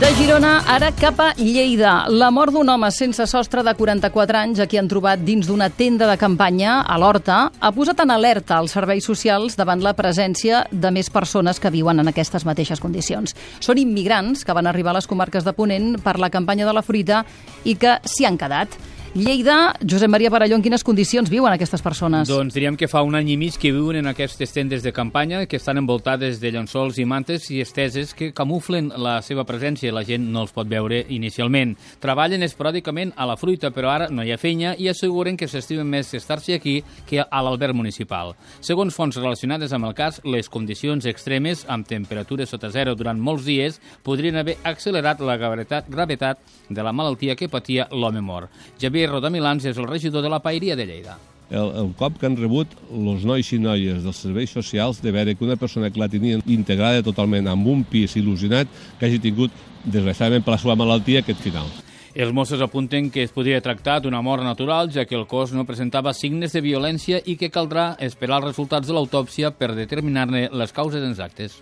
De Girona, ara cap a Lleida. La mort d'un home sense sostre de 44 anys a qui han trobat dins d'una tenda de campanya a l'Horta ha posat en alerta els serveis socials davant la presència de més persones que viuen en aquestes mateixes condicions. Són immigrants que van arribar a les comarques de Ponent per la campanya de la fruita i que s'hi han quedat. Lleida, Josep Maria Parelló, en quines condicions viuen aquestes persones? Doncs diríem que fa un any i mig que viuen en aquestes tendes de campanya que estan envoltades de llençols i mantes i esteses que camuflen la seva presència i la gent no els pot veure inicialment. Treballen esporàdicament a la fruita, però ara no hi ha feina i asseguren que s'estimen més estar-se aquí que a l'alberg municipal. Segons fonts relacionades amb el cas, les condicions extremes, amb temperatures sota zero durant molts dies, podrien haver accelerat la gravetat de la malaltia que patia l'home mort. Javier Rodamilans és el regidor de la Paeria de Lleida. El cop que han rebut els nois i noies dels serveis socials de veure que una persona que la tenia integrada totalment amb un pis il·lusionat que hagi tingut, desgraciadament per la seva malaltia, aquest final. Els Mossos apunten que es podria tractar d'una mort natural, ja que el cos no presentava signes de violència i que caldrà esperar els resultats de l'autòpsia per determinar-ne les causes exactes.